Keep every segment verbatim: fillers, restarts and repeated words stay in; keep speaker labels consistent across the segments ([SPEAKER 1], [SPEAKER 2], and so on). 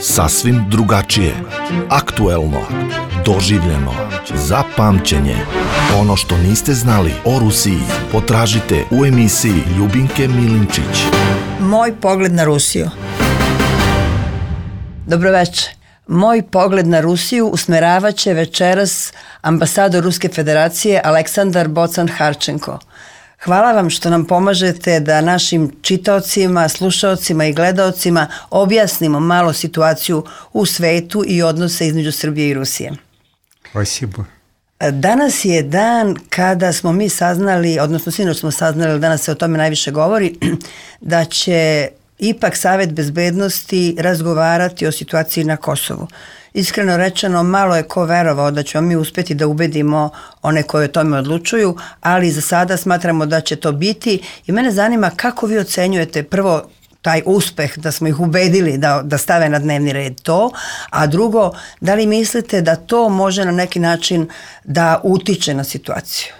[SPEAKER 1] Sasvim drugačije, aktuelno, doživljeno, za pamćenje. Ono što niste znali o Rusiji potražite u emisiji Ljubinke Milinčić.
[SPEAKER 2] Moj pogled na Rusiju. Dobroveče. Moj pogled na Rusiju usmeravaće večeras ambasador Ruske federacije Aleksandar Bocan-Harčenko. Hvala vam što nam pomažete da našim čitaocima, slušaocima i gledaocima objasnimo malo situaciju u svetu i odnose između Srbije i Rusije.
[SPEAKER 3] Спасибо.
[SPEAKER 2] Danas je dan kada smo mi saznali, odnosno sinoć smo saznali, danas se o tome najviše govori, da će ipak Savet bezbednosti razgovarati o situaciji na Kosovu. Iskreno rečeno, malo je ko verovao da ćemo mi uspjeti da ubedimo one koje o tome odlučuju, ali za sada smatramo da će to biti i mene zanima kako vi ocenjujete prvo taj uspeh da smo ih ubedili da, da stave na dnevni red to, a drugo, da li mislite da to može na neki način da utiče на ситуацию?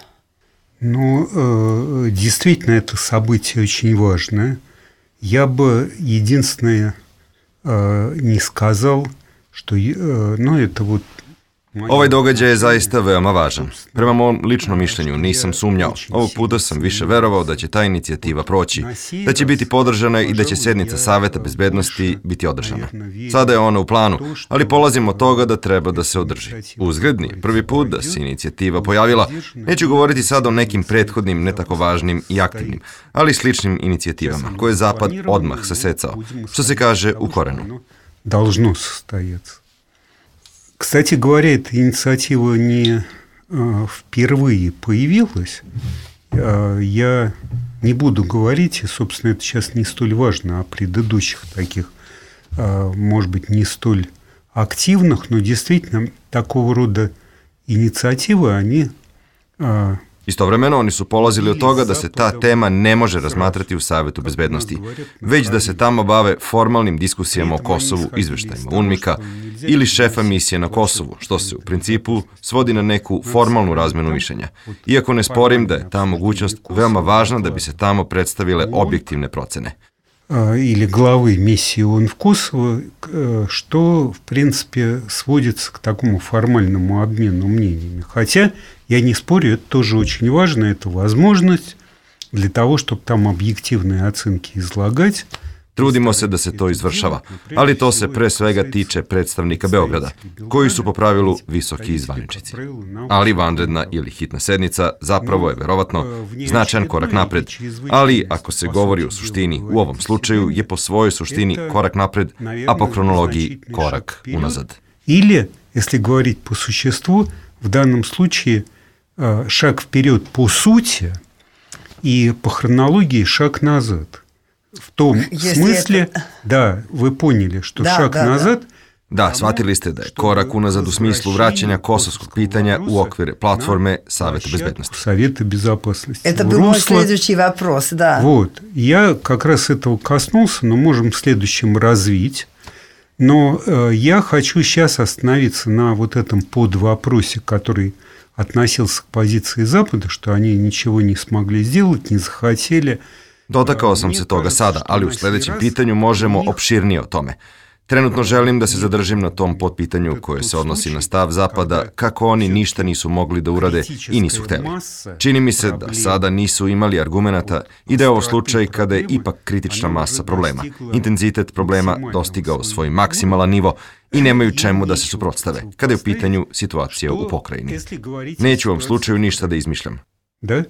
[SPEAKER 3] Ну, э, действительно, это событие очень важное. Я бы единственное э, не сказал, što, no, eto, вот,
[SPEAKER 4] Ovaj događaj je zaista veoma važan. Prema mom ličnom mišljenju nisam sumnjao. Ovog puta sam više verovao da će ta inicijativa proći, da će biti podržana i da će sednica Saveta bezbednosti biti održana. Sada je ona u planu, ali polazimo od toga da treba da se održi. Uzgredni, prvi put da se inicijativa pojavila, neću govoriti sada o nekim prethodnim, ne tako važnim i aktivnim, ali sličnim inicijativama, koje je Zapad odmah sasecao, što se kaže u korenu.
[SPEAKER 3] Должно состояться. Кстати говоря, эта инициатива не а, впервые появилась. А, я не буду говорить, и, собственно, это сейчас не столь важно, о предыдущих таких, а, может быть, не столь активных, но действительно такого рода инициативы, они... А,
[SPEAKER 4] Istovremeno, oni su polazili od toga da se ta tema ne može razmatrati u Savetu bezbednosti, već da se tamo bave formalnim diskusijama o Kosovu, izveštajima UNMIK-a ili šefa misije na Kosovu, što se u principu svodi na neku formalnu razmenu mišljenja. Iako ne sporim da je ta mogućnost veoma važna da bi se tamo predstavile objektivne procene.
[SPEAKER 3] Или главы миссии ООН в Косово, что, в принципе, сводится к такому формальному обмену мнениями. Хотя, я не спорю, это тоже очень важно, это возможность для того, чтобы там объективные оценки излагать.
[SPEAKER 4] Trudimo se da se to izvršava, ali to se pre svega tiče predstavnika Beograda, koji su po pravilu visoki zvaničnici. Ali vanredna ili hitna sednica zapravo je verovatno značajan korak napred, ali ako se govori o suštini, u ovom slučaju je po svojoj suštini korak napred, a po kronologiji korak unazad.
[SPEAKER 3] Или, если говорить по существу, в данном случае шаг вперед по сути и по хронологии шаг назад. В том Если смысле, это... да, вы поняли, что да, шаг да, назад...
[SPEAKER 4] Da, da, shvatili ste da je korak unazad u smislu vraćanja kosovskog pitanja u okvire platforme Saveta безопасности.
[SPEAKER 3] Saveta безопасности.
[SPEAKER 2] Это был мой следующий вопрос, да.
[SPEAKER 3] Вот, я как раз этого коснулся, но можем в следующем развить. Но э, я хочу сейчас остановиться на вот этом подвопросе, который относился к позиции Запада, что они ничего не смогли сделать, не захотели...
[SPEAKER 4] Dotakao sam se toga sada, ali u sljedećem pitanju možemo opširnije o tome. Trenutno želim da se zadržim na tom potpitanju koje se odnosi na stav Zapada, kako oni ništa nisu mogli da urade i nisu hteli. Čini mi se da sada nisu imali argumenata i da je ovo slučaj kada je ipak kritična masa problema, intenzitet problema dostigao svoj maksimalan nivo i nemaju čemu da se suprotstave, kada je u pitanju situacija u pokrajini. Neću u ovom slučaju ništa da izmišljam.
[SPEAKER 3] Da?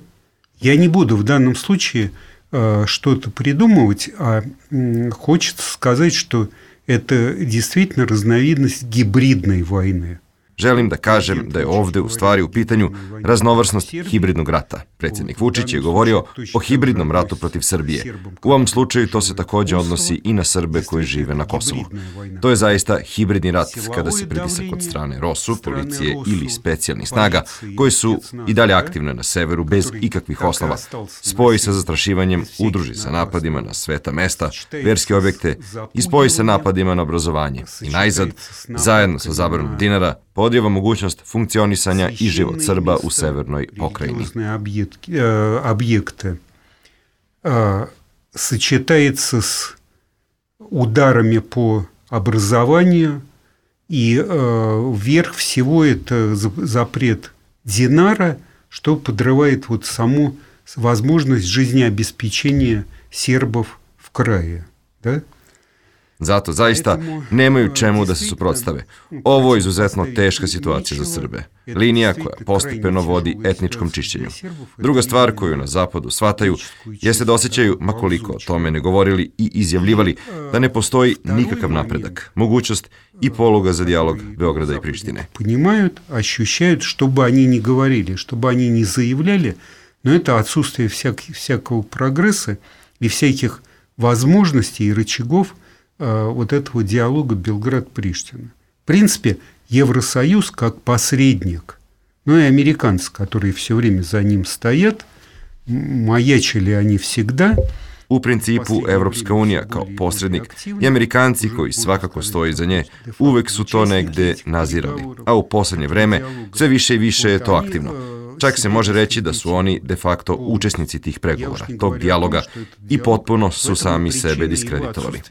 [SPEAKER 3] Ja ne budu u danom slučaju что-то придумывать, а хочется сказать, что это действительно разновидность гибридной войны.
[SPEAKER 4] Želim da kažem da je ovde u stvari u pitanju raznovrsnost hibridnog rata. Predsjednik Vučić je govorio o hibridnom ratu protiv Srbije. U ovom slučaju to se također odnosi i na Srbe koji žive na Kosovu. To je zaista hibridni rat kada se pritisak od strane ROSU, policije ili specijalnih snaga, koji su i dalje aktivne na severu bez ikakvih osnova, spoji sa zastrašivanjem, udruži sa napadima na sveta mesta, verske objekte i spoji sa napadima na obrazovanje. I najzad, zajedno sa zabranom dinara, podijeva mogućnost funkcionisanja i život Srba u severnoj pokrajini.
[SPEAKER 3] Объекты сочетается с ударами по образованию, и э, верх всего это запрет динара, что подрывает вот саму возможность жизнеобеспечения сербов в крае. Да?
[SPEAKER 4] Zato zaista nemaju čemu da se suprotstave. Ovo je izuzetno teška situacija za Srbe. Linija koja postepeno vodi etničkom čišćenju. Druga stvar koju na zapadu shvataju jeste da osjećaju, makoliko o tome ne govorili i izjavljivali, da ne postoji nikakav napredak, mogućnost i poluga za dijalog Beograda i Prištine.
[SPEAKER 3] Понимают, ощущают, что бы они ни говорили, что бы они ни заявляли, но это отсутствие всяких, всякого прогресса и всяких возможностей и рычагов вот этого диалога Белград-Приштина. В принципе, Евросоюз как посредник, ну и американцы, которые все время за ним стоят, маячили они всегда.
[SPEAKER 4] U principu, Evropska unija kao posrednik i Amerikanci koji svakako stoji za nje uvek su to negde nazirali, a u poslednje vreme sve više i više je to aktivno. Čak se može reći da su oni de facto učesnici tih pregovora, tog dijaloga i potpuno su sami sebe diskreditovali.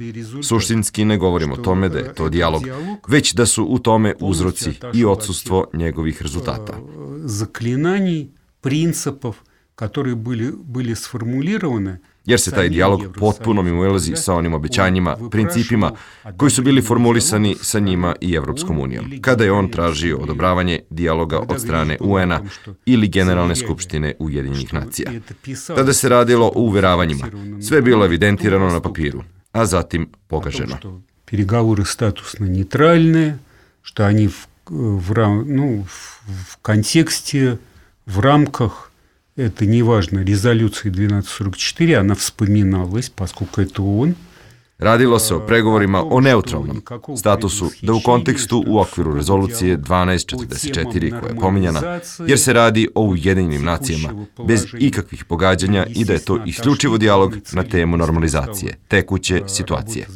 [SPEAKER 4] Suštinski ne govorimo o tome da je to dijalog, već da su u tome uzroci i odsustvo njegovih rezultata.
[SPEAKER 3] Zaklinanij, principov, koji bili, bili sformulirane,
[SPEAKER 4] jer se taj dijalog potpuno mimoilazi sa onim obećanjima, principima koji su bili formulisani sa njima i Evropskom unijom, kada je on tražio odobravanje dijaloga od strane U N-a ili Generalne skupštine Ujedinjenih nacija. Tada se radilo o uveravanjima, sve je bilo evidentirano na papiru, a zatim pogaženo.
[SPEAKER 3] Переговоры статусно нейтральные, что они в, в, ну, в контексте, в рамках, это не важно, резолюции двенадцать сорок четыре, она вспоминалась, поскольку это он.
[SPEAKER 4] Radilo se o pregovorima o neutralnom statusu, da u kontekstu u okviru rezolucije dvanaest četrdeset četiri koja je pominjana, jer se radi o Ujedinjenim nacijama, bez ikakvih pogađanja i da je to isključivo dijalog na temu normalizacije, tekuće situacije.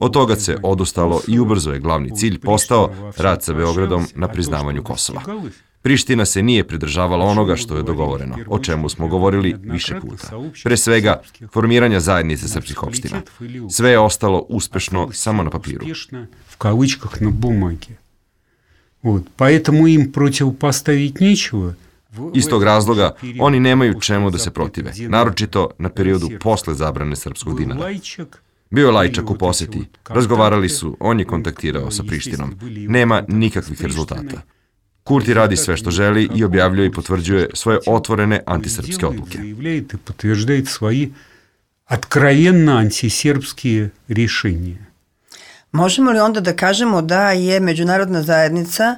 [SPEAKER 4] Od toga se odustalo i ubrzo je glavni cilj postao rad sa Beogradom na priznavanju Kosova. Priština se nije pridržavala onoga što je dogovoreno, o čemu smo govorili više puta. Pre svega, formiranja zajednice srpskih opština. Sve je ostalo uspešno samo na papiru.
[SPEAKER 3] В кавычках на бумаге. Вот. Поэтому им противопоставить нечего.
[SPEAKER 4] Iz tog razloga, oni nemaju čemu da se protive, naročito na periodu posle zabrane srpskog dinara. Bio je Lajčak u poseti, razgovarali su, on je kontaktirao sa Prištinom. Nema nikakvih rezultata. Kurti radi sve što želi i objavljuje i potvrđuje svoje otvorene antisrpske odluke.
[SPEAKER 3] I potvrđuje svoje откровенно антисербские решения.
[SPEAKER 2] Možemo li onda da kažemo da je međunarodna zajednica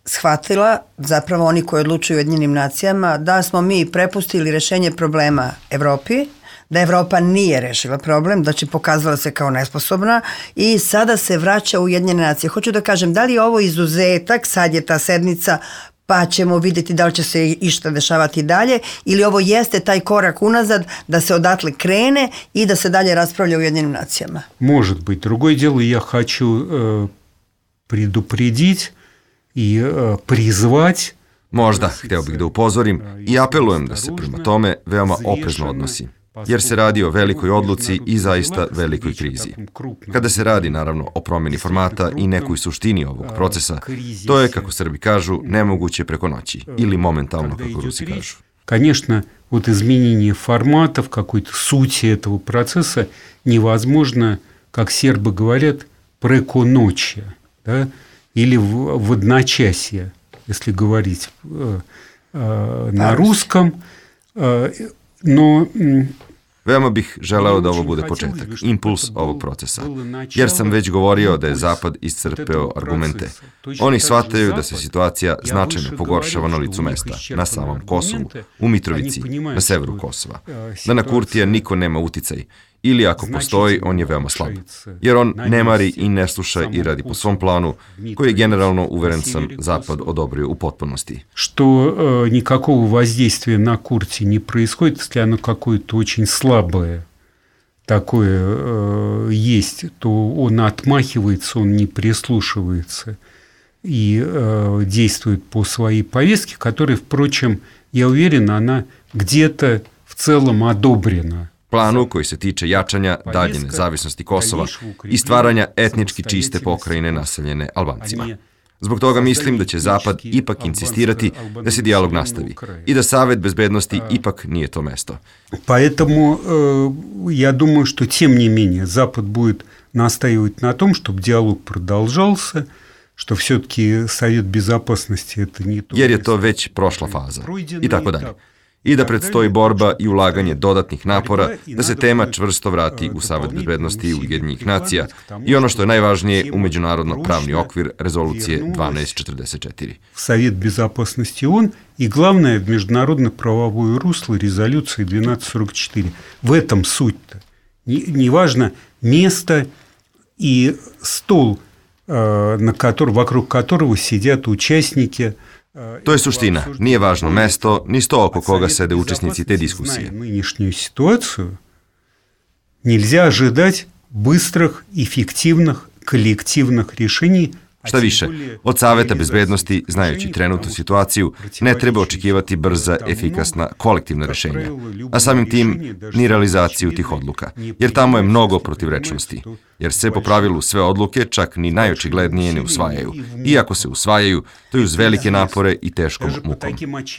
[SPEAKER 2] shvatila, zapravo oni koji odlučuju o Ujedinjenim nacijama, da smo mi prepustili rešenje problema Evropi, da Evropa nije rešila problem, da će pokazala se kao nesposobna i sada se vraća u Ujedinjene nacije. Hoću da kažem, da li je ovo izuzetak, sad je ta sednica, pa ćemo vidjeti da li će se išta dešavati dalje, ili ovo jeste taj korak unazad da se odatle krene i da se dalje raspravlja u Ujedinjenim nacijama?
[SPEAKER 3] Может быть. Другое дело, я хочу э, предупредить и э, призвать.
[SPEAKER 4] Možda, hteo bih da upozorim i apelujem da se prema tome veoma oprezno odnosi, jer se radi o velikoj odluci i zaista velikoj krizi. Kada se radi, naravno, o promjeni formata i nekoj suštini ovog procesa, to je, kako Srbi kažu, nemoguće preko noći ili momentalno, kako Rusi kažu.
[SPEAKER 3] Конечно, вот изменение форматов, какой-то сути этого процесса невозможно, как сербы говорят, преко ночи, да? Или в, в одночасье, если говорить э, э, на русском. Э, no,
[SPEAKER 4] Veoma bih želeo da ovo bude početak, impuls ovog procesa, jer sam već govorio da je Zapad iscrpeo argumente. Oni shvataju da se situacija značajno pogoršava na licu mesta, na samom Kosovu, u Mitrovici, na severu Kosova, da na Kurtija niko nema uticaj, ili ako postoji, on je veoma slab, jer on ne mari i ne sluša i radi po svom planu, koji je generalno, uveren sam, Zapad odobrio u potpunosti.
[SPEAKER 3] Что э, никакого воздействия на Курти не происходит, если оно какое-то очень слабое такое э, есть, то он отмахивается, он не прислушивается и э, действует по своей повестке, которая, впрочем, я уверен, она где-то в целом одобрена
[SPEAKER 4] planu koji se tiče jačanja dalje nezavisnosti Kosova i stvaranja etnički čiste pokrajine naseljene Albancima. Zbog toga mislim da će Zapad ipak insistirati da se dijalog nastavi i da Savet bezbednosti ipak nije to mesto.
[SPEAKER 3] Поэтому э, я думаю, что тем не менее Запад будет настаивать на том, чтобы диалог продолжался, što все-таки Совет Безопасности это не то.
[SPEAKER 4] Jer je to već prošla faza i tako dalje. I da predstoji borba i ulaganje dodatnih napora da se tema čvrsto vrati u Savet bezbednosti Ujedinjenih nacija i ono što je najvažnije u međunarodno pravni okvir rezolucije dvanaest četrdeset četiri.
[SPEAKER 3] Совет Безопасности ООН и главное в международно-правовое русло резолюции двенадцать сорок четыре. В этом суть-то. Неважно место и стол, на который, вокруг которого сидят участники.
[SPEAKER 4] To je suština. Nije važno mesto, ni sto oko koga sede učesnici te diskusije.
[SPEAKER 3] Nынешнюю ситуацию нельзя ожидать быстрых, эффективных, коллективных решений.
[SPEAKER 4] Šta više, od Saveta bezbednosti, znajući trenutnu situaciju, ne treba očekivati brza, efikasna, kolektivna rešenja, a samim tim ni realizaciju tih odluka, jer tamo je mnogo protivrečnosti, jer se po pravilu sve odluke, čak ni najočiglednije, ne usvajaju. Iako se usvajaju, to je uz velike napore i teškom mukom.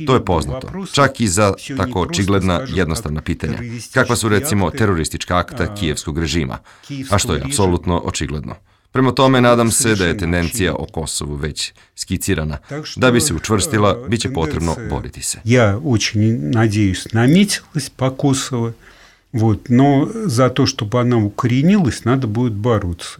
[SPEAKER 4] To je poznato, čak i za tako očigledna, jednostavna pitanja, kakva su recimo teroristička akta kijevskog režima, a što je apsolutno očigledno. Prema tome, nadam se da je tendencija o Kosovu već skicirana. Da bi se učvrstila, bit će potrebno boriti se.
[SPEAKER 3] Ja очень надеюсь, наметилась по Косово, вот, но за то, чтобы она укоренилась, надо будет бороться.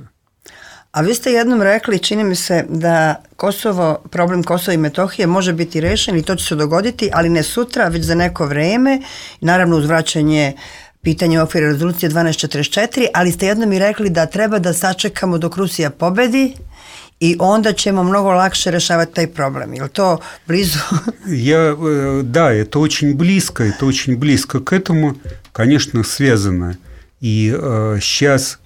[SPEAKER 2] A vi ste jednom rekli, čini mi se, da Kosovo, problem Kosova i Metohije može biti rešen i to će se dogoditi, ali ne sutra, već za neko vreme, naravno uz vraćanje pitanje u okviru rezolucije dvanaest četrdeset četiri, ali ste jednom i rekli da treba da sačekamo dok Rusija pobedi i onda ćemo mnogo lakše rešavati taj problem. Je li to blizu?
[SPEAKER 3] Я, да, это очень близко, это очень близко к этому, конечно, связано. И э, сейчас,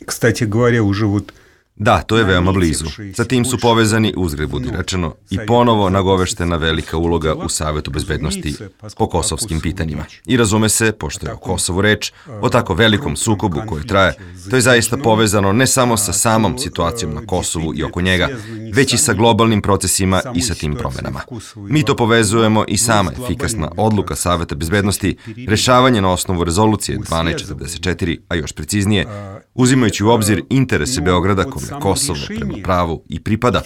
[SPEAKER 3] кстати говоря, уже вот
[SPEAKER 4] Da, to je veoma blizu. Sa tim su povezani, uzgred budi rečeno, i ponovo nagoveštena velika uloga u Savetu bezbednosti po kosovskim pitanjima. I razume se, pošto je o Kosovu reč, o tako velikom sukobu koji traje, to je zaista povezano ne samo sa samom situacijom na Kosovu i oko njega, već i sa globalnim procesima i sa tim promenama. Mi to povezujemo i sama efikasna odluka Saveta bezbednosti, rešavanje na osnovu rezolucije dvanaest četrdeset četiri, a još preciznije, uzimajući u obzir interese Beograda kome Kosovo prema pravu i pripada,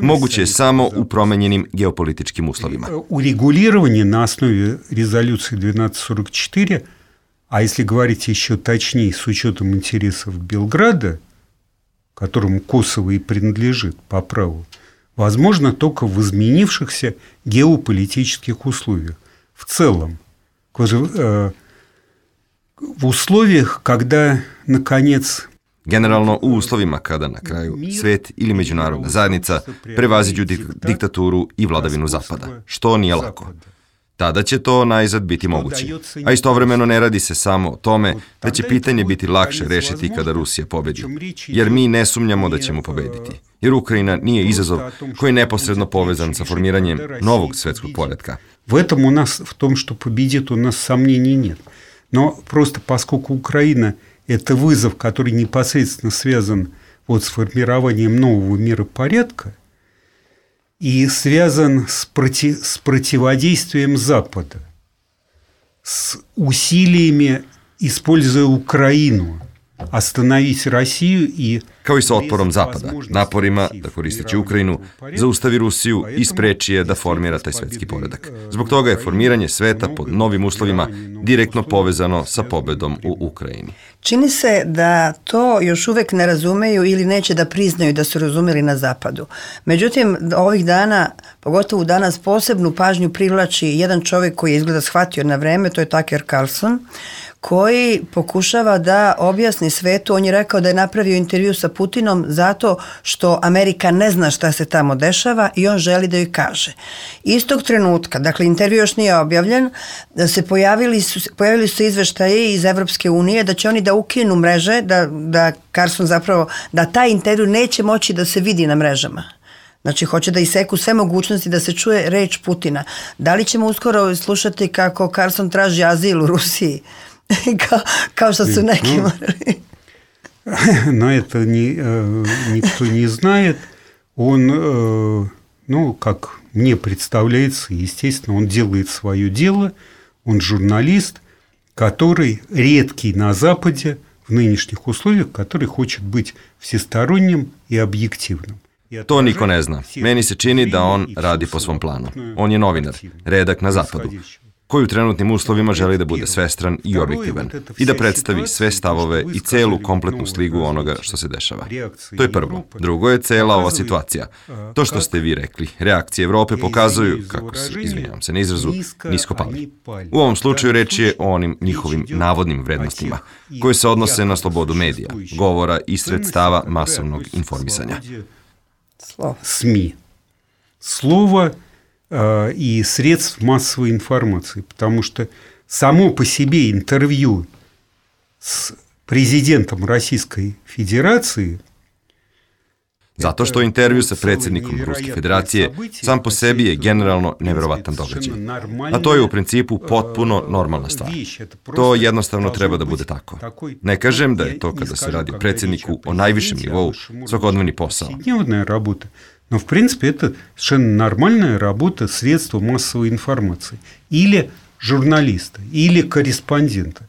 [SPEAKER 4] moguće je samo u promenjenim geopolitičkim uslovima.
[SPEAKER 3] Урегулирование на основе резолюции двенадцать сорок четыре, а если говорить еще точнее, с учетом интересов Белграда, которому Косово и принадлежит по праву, возможно только в изменившихся геополитических условиях. В целом, в условиях, когда, наконец,
[SPEAKER 4] Generalno u uslovima kada na kraju svet ili međunarodna zajednica prevaziđu dik- diktaturu i vladavinu Zapada, što nije lako. Tada će to najzad biti moguće. A istovremeno ne radi se samo o tome da će pitanje biti lakše rešiti kada Rusija pobedi. Jer mi ne sumnjamo da ćemo pobediti. Jer Ukrajina nije izazov koji je neposredno povezan sa formiranjem novog svetskog poretka.
[SPEAKER 3] В этом у нас, в том, что победит, у нас сомнений нет. Но просто поскольку Украина – это вызов, который непосредственно связан вот с формированием нового миропорядка и связан с, проти, с противодействием Запада, с усилиями, используя Украину, остановить Россию и...
[SPEAKER 4] Kao i sa otporom Zapada, naporima da koristeći Ukrajinu, zaustavi Rusiju i spreči je da formira taj svetski poredak. Zbog toga je formiranje sveta pod novim uslovima direktno povezano sa pobedom u Ukrajini.
[SPEAKER 2] Čini se da to još uvek ne razumeju ili neće da priznaju da su razumeli na Zapadu. Međutim, ovih dana, pogotovo danas, posebnu pažnju privlači jedan čovjek koji je izgleda shvatio na vreme, to je Tucker Carlson, koji pokušava da objasni svetu. On je rekao da je napravio intervju sa Putinom zato što Amerika ne zna šta se tamo dešava i on želi da joj kaže. Istog trenutka, dakle intervju još nije objavljen, da se pojavili su, pojavili su izveštaje iz Evropske unije da će oni da ukinu mreže, da, da Carlson zapravo, da taj intervju neće moći da se vidi na mrežama. Znači, hoće da iseku sve mogućnosti da se čuje reč Putina. Da li ćemo uskoro slušati kako Carlson traži azil u Rusiji? kao, kao što su neki morali.
[SPEAKER 3] Но это не, никто не знает. Он, ну, как мне представляется, естественно, он делает свое дело. Он журналист, который редкий на Западе в нынешних условиях, который хочет быть всесторонним и объективным.
[SPEAKER 4] To niko ne zna. Meni se čini da on radi po svom planu. On je novinar, redak na zapadu, koji u trenutnim uslovima želi da bude svestran i objektivan i da predstavi sve stavove i celu kompletnu sligu onoga što se dešava. To je prvo. Drugo je cela ova situacija. To što ste vi rekli, reakcije Evrope pokazuju, kako se, izvinjavam se na izrazu, nisko pali. U ovom slučaju reč je o onim njihovim navodnim vrednostima, koje se odnose na slobodu medija, govora i sredstava masovnog informisanja.
[SPEAKER 3] СМИ. Слово э, и средств массовой информации. Потому что само по себе интервью с президентом Российской Федерации...
[SPEAKER 4] Zato što intervju sa predsjednikom Ruske federacije sam po sebi je generalno neverovatan događaj. A to je u principu potpuno normalna stvar. To jednostavno treba da bude tako. Ne kažem da je to kada se radi o predsjedniku o najvišem nivou svakodnevni posao.
[SPEAKER 3] Но, в принципе, это совершенно нормальная работа средства массовой информации. Или журналиста, или корреспондента.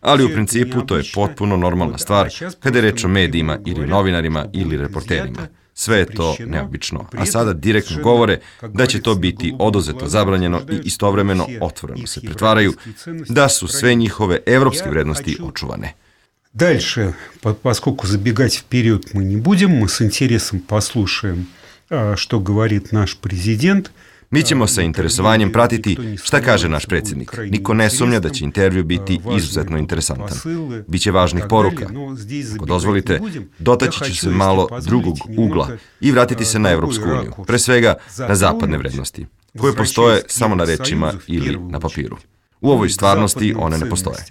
[SPEAKER 4] Ali u principu to je potpuno normalna stvar kada je reč o medijima ili novinarima ili reporterima. Sve je to neobično, a sada direktno govore da će to biti oduzeto, zabranjeno i istovremeno otvoreno se pretvaraju da su sve njihove evropske vrednosti očuvane.
[SPEAKER 3] Дальше, поскольку забегать вперед мы не будем, мы с интересом послушаем, что говорит наш президент.
[SPEAKER 4] Mi ćemo sa interesovanjem pratiti šta kaže naš predsjednik. Niko ne sumnja da će intervju biti izuzetno interesantan. Biće važnih poruka. Ako dozvolite, dotaći ću se malo drugog ugla i vratiti se na Evropsku uniju, pre svega na zapadne vrednosti, koje postoje samo na rečima ili na papiru. U ovoj stvarnosti one ne postoje.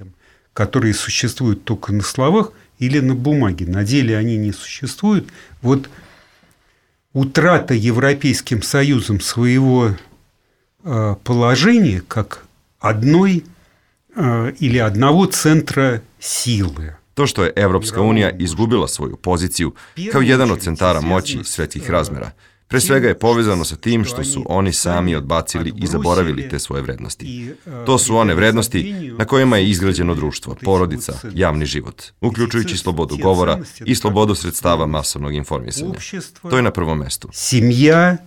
[SPEAKER 3] Которые существуют только на словах или на бумаге. На деле они не существуют. Вот утрата Европейским Союзом своего э, положения как одной э, или одного центра силы.
[SPEAKER 4] To što je Evropska unija izgubila svoju poziciju kao jedan od centara moći svetskih razmera, pre svega je povezano sa tim što su oni sami odbacili i zaboravili te svoje vrednosti. To su one vrednosti na kojima je izgrađeno društvo, porodica, javni život, uključujući slobodu govora i slobodu sredstava masovnog informisanja. To je na prvom mestu.
[SPEAKER 3] Семья,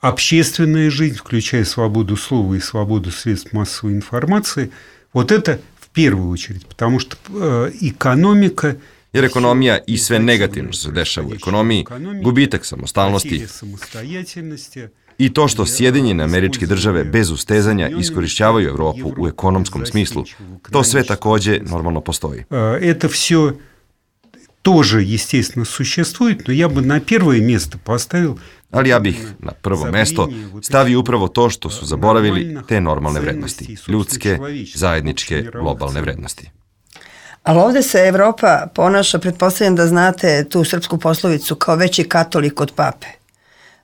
[SPEAKER 3] общественная жизнь, включая свободу слова и свободу средств массовой информации, вот это в первую очередь, потому что экономика...
[SPEAKER 4] Jer ekonomija i sve negativno što se dešava u ekonomiji, gubitak samostalnosti i to što Sjedinjene Američke Države bez ustezanja iskorišćavaju Evropu u ekonomskom smislu, to sve takođe normalno postoji.
[SPEAKER 3] Это все тоже, естественно, существует, но я бы на первое место поставил...
[SPEAKER 4] Ali ja bih na prvo mesto stavio upravo to što su zaboravili te normalne vrednosti, ljudske, zajedničke, globalne vrednosti.
[SPEAKER 2] Ali ovde se Evropa ponaša, pretpostavljam da znate tu srpsku poslovicu, kao veći katolik od pape.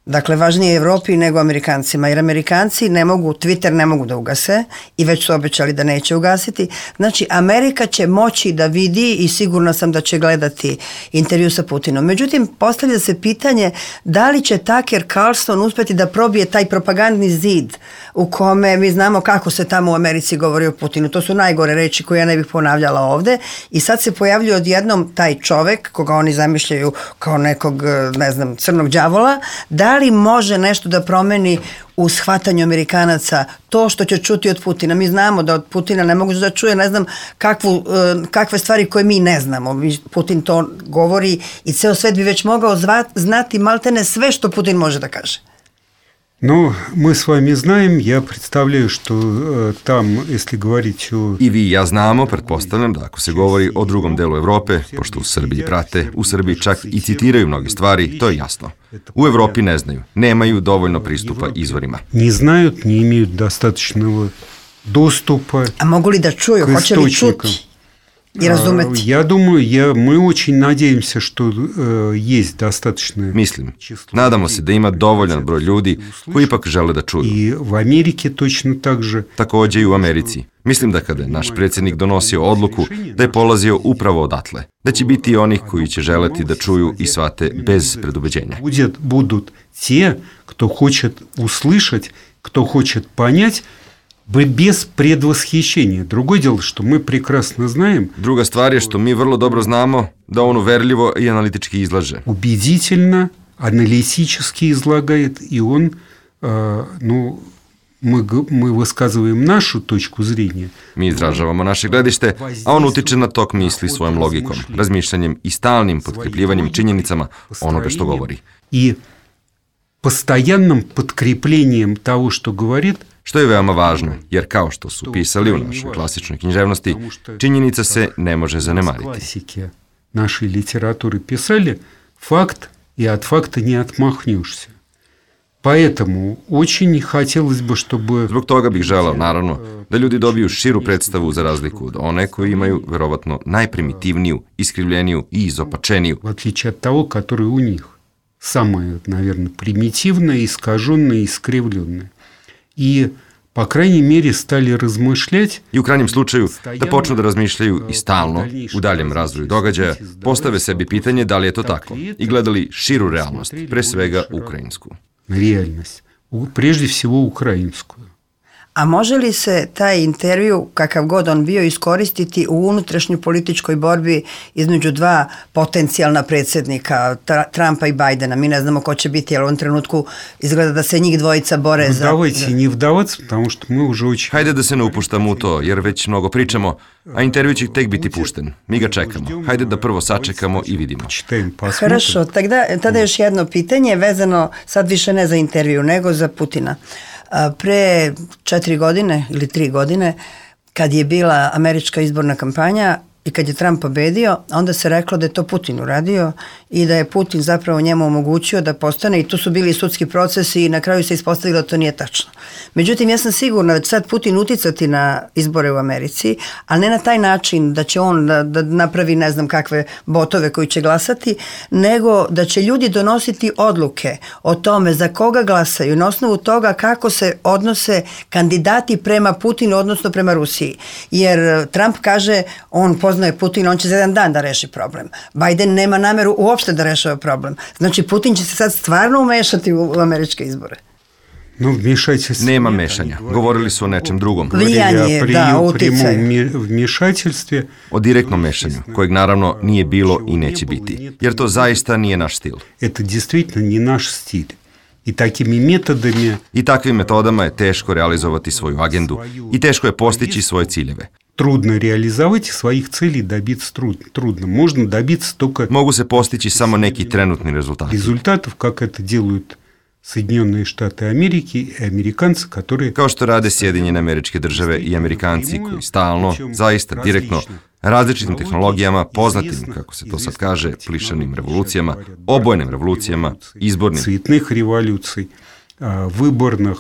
[SPEAKER 2] Dakle, važnije je Evropi nego Amerikancima, jer Amerikanci ne mogu, Twitter ne mogu da ugase i već su obećali da neće ugasiti. Znači, Amerika će moći da vidi i sigurno sam da će gledati intervju sa Putinom. Međutim, postavlja se pitanje da li će Tucker Carlson uspeti da probije taj propagandni zid u kome mi znamo kako se tamo u Americi govori o Putinu. To su najgore reči koje ja ne bih ponavljala ovde i sad se pojavljuje odjednom taj čovek koga oni zamišljaju kao nekog, ne znam, crnog đavola, da li može nešto da promeni u shvatanju Amerikanaca to što će čuti od Putina. Mi znamo da od Putina ne mogu da čuje, ne znam, kakvu, kakve stvari koje mi ne znamo. Putin to govori i ceo svet bi već mogao zvat, znati maltene sve što Putin može da kaže.
[SPEAKER 3] Но мы с вами знаем, я представляю, что э, там, если говорить о...
[SPEAKER 4] I vi i ja znamo, pretpostavljam da ako se govori o drugom delu Evrope, pošto u Srbiji prate, u Srbiji čak i citiraju mnoge stvari, to je jasno. U Evropi ne znaju, nemaju dovoljno pristupa izvorima.
[SPEAKER 3] Не знают, не имеют достаточного доступа.
[SPEAKER 2] A mogu li da čuju, hoće li čuti? i razumeti?
[SPEAKER 3] Ja думаю, ja, my очень надеемся, что uh, есть достаточно.
[SPEAKER 4] Mislim, nadamo se da ima dovoljan broj ljudi koji ipak žele da čuju.
[SPEAKER 3] I u Amerike точно так же.
[SPEAKER 4] Takođe i u Americi. Mislim da kada je naš predsjednik donosio odluku, da je polazio upravo odatle. Da će biti i onih koji će želeti da čuju i shvate bez predubeđenja.
[SPEAKER 3] Будет, будут те, кто хочет услышать, кто хочет понять, без предвосхищения. Другое дело, что мы прекрасно знаем.
[SPEAKER 4] Druga stvar je što mi vrlo dobro znamo da on uverljivo i analitički izlaže.
[SPEAKER 3] Убедительно, аналитически излагает, и он, э, ну, мы, мы высказываем нашу точку зрения.
[SPEAKER 4] Mi izražavamo naše gledište, a on utiče na tok misli svojom logikom, razmišljanjem i stalnim potkrepljivanjem činjenicama onoga što govori.
[SPEAKER 3] I постоянным подкреплением того, что говорит,
[SPEAKER 4] što je veoma važno, jer kao što su pisali u našoj klasičnoj književnosti, činjenica se ne može zanemariti.
[SPEAKER 3] Классики нашей литературы писали, факт, и от факта не отмахнешься. Поэтому очень хотелось бы, чтобы...
[SPEAKER 4] Zbog toga bih želao, naravno, da ljudi dobiju širu predstavu za razliku od one koji imaju, verovatno, najprimitivniju, iskrivljeniju i izopačeniju.
[SPEAKER 3] В отличие от того, который у них. Самое, наверное, примитивное, искаженное, искривленное. I, po krajnjoj mjeri, stali razmišljati.
[SPEAKER 4] I u krajnjem slučaju da počnu da razmišljaju i stalno, u daljem razvoju događaja, postave sebi pitanje da li je to tako i gledali širu realnost, pre svega ukrajinsku.
[SPEAKER 3] Realnost, prežde всего ukrajinsku.
[SPEAKER 2] A može li se taj intervju, kakav god on bio, iskoristiti u unutrašnjoj političkoj borbi između dva potencijalna predsjednika, Trumpa i Bajdena? Mi ne znamo ko će biti, jer u ovom trenutku izgleda da se njih dvojica bore za...
[SPEAKER 3] Давайте не вдаваться, потому что мы уже очень...
[SPEAKER 4] Hajde da se ne upuštamo u to, jer već mnogo pričamo, a intervju će tek biti pušten. Mi ga čekamo. Hajde da prvo sačekamo i vidimo.
[SPEAKER 2] Хорошо, tada, tada još jedno pitanje vezano, sad više ne za intervju, nego za Putina. Pre četiri godine ili tri godine, kad je bila američka izborna kampanja i kad je Trump pobedio, onda se reklo da je to Putin uradio i da je Putin zapravo njemu omogućio da postane, i tu su bili sudski procesi i na kraju se ispostavilo da to nije tačno. Međutim, ja sam sigurna da će sad Putin uticati na izbore u Americi, ali ne na taj način da će on da, da napravi ne znam kakve botove koji će glasati, nego da će ljudi donositi odluke o tome za koga glasaju na osnovu toga kako se odnose kandidati prema Putinu, odnosno prema Rusiji. Jer Trump kaže, on poznaje Putin, on će za jedan dan da reši problem. Biden nema nameru uopšte da rešava problem. Znači, Putin će se sad stvarno umešati u, u američke izbore.
[SPEAKER 3] No, вмешательство.
[SPEAKER 4] Nema mešanja. Govorili su o nečem drugom.
[SPEAKER 2] Vlijanje, da, uticaj.
[SPEAKER 3] Вмешательстве.
[SPEAKER 4] O direktnom mešanju, kojeg naravno nije bilo i neće biti. Jer to zaista nije naš stil.
[SPEAKER 3] Это действительно не наш стиль. I takimi metodama...
[SPEAKER 4] I takvim metodama je teško realizovati svoju agendu i teško je postići svoje ciljeve.
[SPEAKER 3] Трудно реализовать своих целей, добиться трудно. Трудно. Можно добиться только...
[SPEAKER 4] Mogu se postići samo neki trenutni rezultati.
[SPEAKER 3] Результатов, как это делают Соединенные Штаты Америки и американцы, которые...
[SPEAKER 4] Kao što rade Sjedinjene Američke Države i Amerikanci koji stalno, zaista direktno, različitim tehnologijama, poznatim, kako se to sad kaže, plišanim revolucijama, obojenim revolucijama, izbornim.
[SPEAKER 3] Цветных революций, выборных.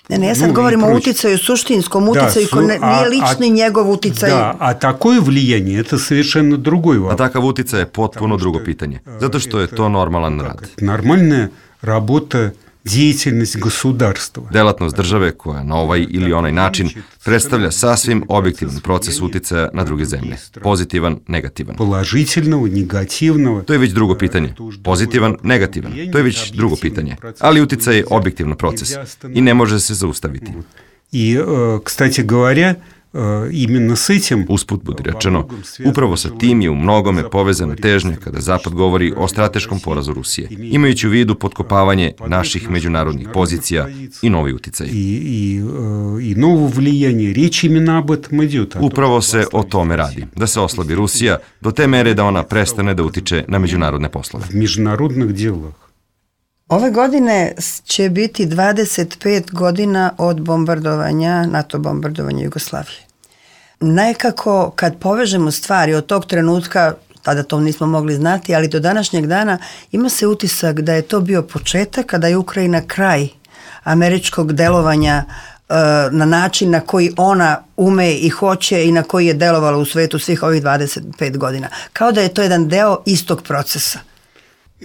[SPEAKER 2] Ne, ne, ja sad govorim o uticaju, suštinskom uticaju, koji nije lični njegov uticaj.
[SPEAKER 3] Da, a такое влияние, это совершенно другой вопрос.
[SPEAKER 4] A takav uticaj je potpuno drugo pitanje, zato što je to normalan rad.
[SPEAKER 3] Нормальная работа, деятельность государства.
[SPEAKER 4] Delatnost države koja na ovaj ili onaj način predstavlja sasvim objektivan proces uticaja na druge zemlje. Pozitivan, negativan.
[SPEAKER 3] Положительного, негативного.
[SPEAKER 4] To je već drugo pitanje. Pozitivan, negativan. To je već drugo pitanje. Ali uticaj je objektivan proces i ne može se zaustaviti.
[SPEAKER 3] I, kстати говоря, imенно s этим...
[SPEAKER 4] Usput budi rečeno, upravo sa tim je u mnogome povezana težnja kada Zapad govori o strateškom porazu Rusije, imajući u vidu potkopavanje naših međunarodnih pozicija i novi uticaj.
[SPEAKER 3] I, i, i novo vlijanje, riječ imena об этом идет.
[SPEAKER 4] Upravo se o tome radi, da se oslabi Rusija do te mere da ona prestane da utiče na međunarodne poslove.
[SPEAKER 3] V međunarodnih djelах.
[SPEAKER 2] Ove godine će biti dvadeset pet godina od bombardovanja, NATO bombardovanja Jugoslavije. Nekako kad povežemo stvari od tog trenutka, tada to nismo mogli znati, ali do današnjeg dana ima se utisak da je to bio početak, kada je Ukrajina kraj američkog delovanja na način na koji ona ume i hoće i na koji je delovala u svetu svih ovih dvadeset pet godina. Kao da je to jedan deo istog procesa.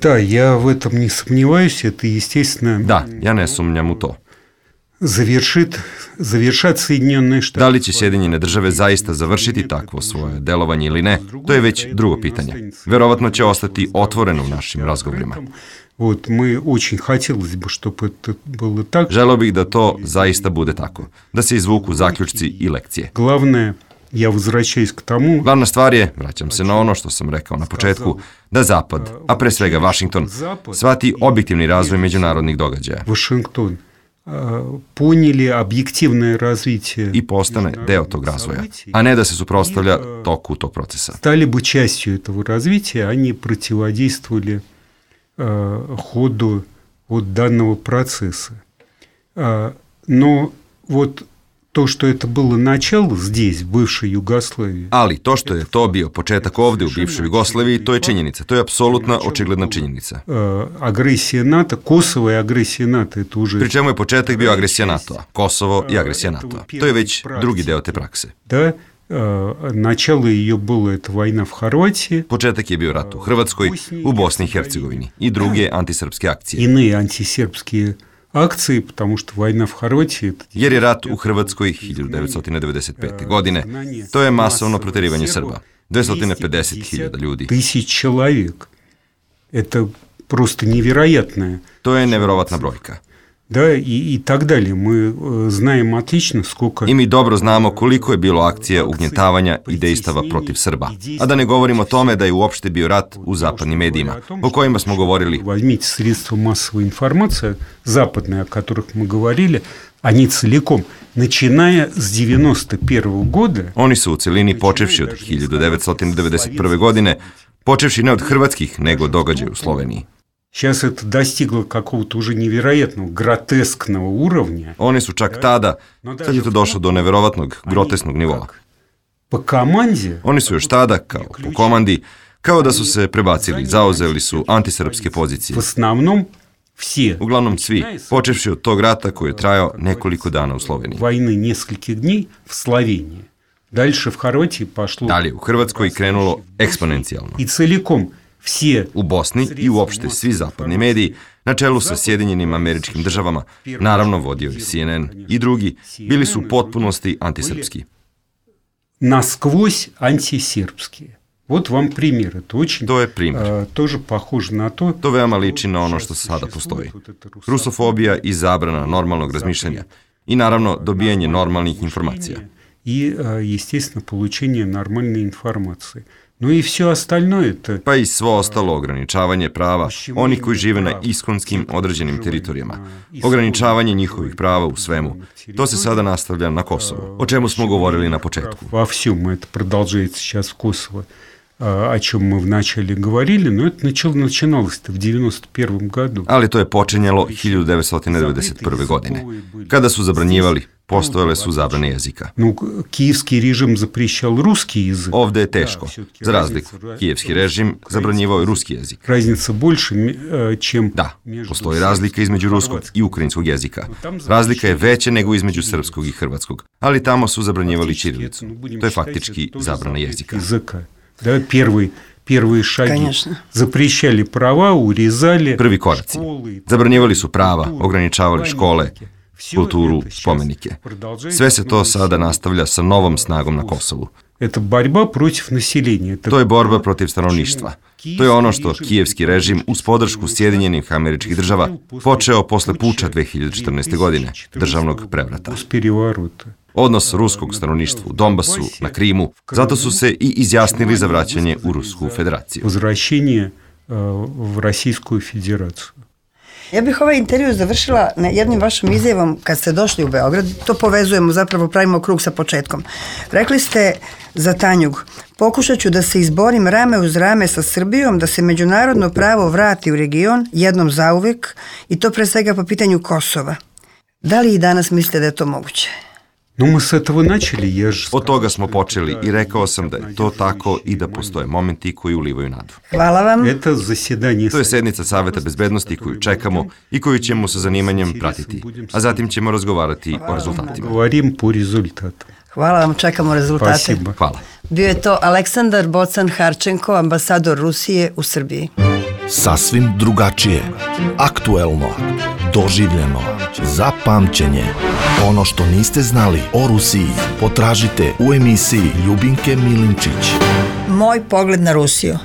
[SPEAKER 3] Da, ja v этом не сомневаюсь, это естественно.
[SPEAKER 4] Da, ja ne sumnjam u to.
[SPEAKER 3] Završit, završat Sjedinjene Štate.
[SPEAKER 4] Da li će Sjedinjene države zaista završiti takvo svoje delovanje ili ne, to je već drugo pitanje. Verovatno će ostati otvoreno u našim razgovorima.
[SPEAKER 3] Вот, мы очень хотелось бы, чтобы это было так.
[SPEAKER 4] Želeo bih da to zaista bude tako, da se izvuku zaključci i lekcije.
[SPEAKER 3] Главное, я возвращаюсь к тому.
[SPEAKER 4] Glavna stvar je, vraćam se na ono što sam rekao na početku, da Zapad, a pre svega Vašington, shvati objektivni razvoj međunarodnih događaja.
[SPEAKER 3] Вашингтон поняли объективное развитие
[SPEAKER 4] I postane deo tog razvoja, a ne da se suprotstavlja toku tog procesa.
[SPEAKER 3] Стали бы частью этого развития, они противодействовали ходу вот данного процесса. Но вот to što je to bilo načelo здесь, в бывшей Югославии.
[SPEAKER 4] Ali to što je to bio početak ovde u bivšoj Jugoslaviji, to je činjenica. To je apsolutna, očigledna činjenica.
[SPEAKER 3] Agresija NATO, Kosovo i agresija NATO, je to уже...
[SPEAKER 4] Pri čemu je početak bio agresija NATO-a, Kosovo i agresija NATO-a. To je već drugi deo te prakse.
[SPEAKER 3] Da, начало ее было это война в Хорватии.
[SPEAKER 4] Početak je bio rat u Hrvatskoj, u Bosni i Hercegovini i druge antisrpske akcije.
[SPEAKER 3] Иные антисербские akcije, потому что война в Хорватии...
[SPEAKER 4] Jer je rat u Hrvatskoj hiljadu devetsto devedeset pete. godine. To je masovno proterivanje Srba. dvesta pedeset hiljada ljudi.
[SPEAKER 3] Тысяч человек. Это просто невероятное.
[SPEAKER 4] To je neverovatna brojka.
[SPEAKER 3] Да, и, и так далее. Мы знаем отлично, сколько...
[SPEAKER 4] I mi dobro znamo koliko je bilo akcija ugnjetavanja i dejstava protiv Srba. A da ne govorimo o tome da je uopšte bio rat u zapadnim medijima, o kojima smo govorili.
[SPEAKER 3] Возьмите средства массовой информации, западные, о которых мы говорили, они целиком, начиная с девяносто первого года...
[SPEAKER 4] Oni su u celini počevši od hiljadu devetsto devedeset prve. godine, počevši ne od hrvatskih, nego događaja u Sloveniji.
[SPEAKER 3] Сейчас это достигло какого-то уже невероятного, гротескного уровня.
[SPEAKER 4] Oni su čak tada, sad je to došlo do neverovatnog, grotesknog nivoa.
[SPEAKER 3] Po komandi?
[SPEAKER 4] Oni su još tada, kao po komandi, kao da su se prebacili, zauzeli su antisrpske pozicije.
[SPEAKER 3] В основном все.
[SPEAKER 4] Uglavnom svi, počevši od tog rata koji je trajao nekoliko dana u Sloveniji.
[SPEAKER 3] Vojne нескольких дней в Sloveniji. Дальше в Хорватии пошло.
[SPEAKER 4] Dalje u Hrvatskoj krenulo eksponencijalno.
[SPEAKER 3] I целиком все.
[SPEAKER 4] U Bosni i uopšte svi zapadni mediji, na čelu sa Sjedinjenim Američkim Državama, naravno vodio i C N N i drugi, bili su u potpunosti antisrpski.
[SPEAKER 3] Насквозь антисербские. Вот вам пример. Это очень,
[SPEAKER 4] to je primjer.
[SPEAKER 3] Uh, тоже похоже на то.
[SPEAKER 4] To veoma liči na ono što sada postoji. Rusofobija i zabrana normalnog razmišljanja. I naravno dobijanje normalnih informacija.
[SPEAKER 3] И, естественно, получение нормальной информации. No i sve остальное это...
[SPEAKER 4] Pa i svo ostalo ograničavanje prava onih koji žive na iskonskim određenim teritorijama. Ograničavanje njihovih prava u svemu. To se sada nastavlja na Kosovu, o čemu smo govorili na početku.
[SPEAKER 3] Во всем это продолжается сейчас в Kosovo, о чем мы вначале говорили, но это начиналось-то в девяносто первом году.
[SPEAKER 4] Ali to je počinjalo hiljadu devetsto devedeset prve. godine. Kada su zabranjivali, postojale su zabrane jezika.
[SPEAKER 3] Ну, киевский режим запрещал русский язык.
[SPEAKER 4] Ovde je teško. Za razliku, kijevski režim zabranjivao je ruski jezik.
[SPEAKER 3] Разница больше, чем...
[SPEAKER 4] Da, postoji razlika između ruskog i ukrajinskog jezika. Razlika je veća nego između srpskog i hrvatskog. Ali tamo su zabranjivali ćirilicu. To je faktički zabrana jezika.
[SPEAKER 3] Да, первый, первые šagi.
[SPEAKER 2] Конечно.
[SPEAKER 3] Запрещали права, урезали.
[SPEAKER 4] Prvi koraci. Zabranjivali su prava, ograničavali škole, kulturu, spomenike. Sve se to sada nastavlja sa novom snagom na Kosovu.
[SPEAKER 3] Это борьба против населения.
[SPEAKER 4] To je borba protiv stanovništva. To je ono što kijevski režim uz podršku Sjedinjenih Američkih Država počeo posle puča dve hiljade četrnaeste. godine, državnog prevrata. Odnos ruskog stanovništva u Donbasu, na Krimu, zato su se i izjasnili za vraćanje u Rusku federaciju.
[SPEAKER 3] Возвращение в Российскую Федерацию.
[SPEAKER 2] Ja bih ovaj intervju završila na jednim vašom izjavom kad ste došli u Beograd. To povezujemo, zapravo pravimo krug sa početkom. Rekli ste za Tanjug: pokušat ću da se izborim rame uz rame sa Srbijom, da se međunarodno pravo vrati u region jednom zauvek, i to pre svega po pitanju Kosova. Da li i danas mislite da je to moguće?
[SPEAKER 3] No, my s этого начali, ja ж...
[SPEAKER 4] Od toga smo počeli i rekao sam da je to tako i da postoje momenti koji ulivaju nadu.
[SPEAKER 2] Hvala vam.
[SPEAKER 3] Это заседание...
[SPEAKER 4] To je sednica Saveta bezbednosti koju čekamo i koju ćemo sa zanimanjem pratiti, a zatim ćemo razgovarati o rezultatima.
[SPEAKER 3] Govorim po rezultatu.
[SPEAKER 2] Hvala vam, čekamo rezultate.
[SPEAKER 3] Spasiba.
[SPEAKER 4] Hvala.
[SPEAKER 2] Bio je to Aleksandar Bocan-Harčenko, ambasador Rusije u Srbiji.
[SPEAKER 1] Sasvim drugačije, aktuelno, doživljeno, za pamćenje. Ono što niste znali o Rusiji, potražite u emisiji Ljubinke Milinčić.
[SPEAKER 2] Moj pogled na Rusiju.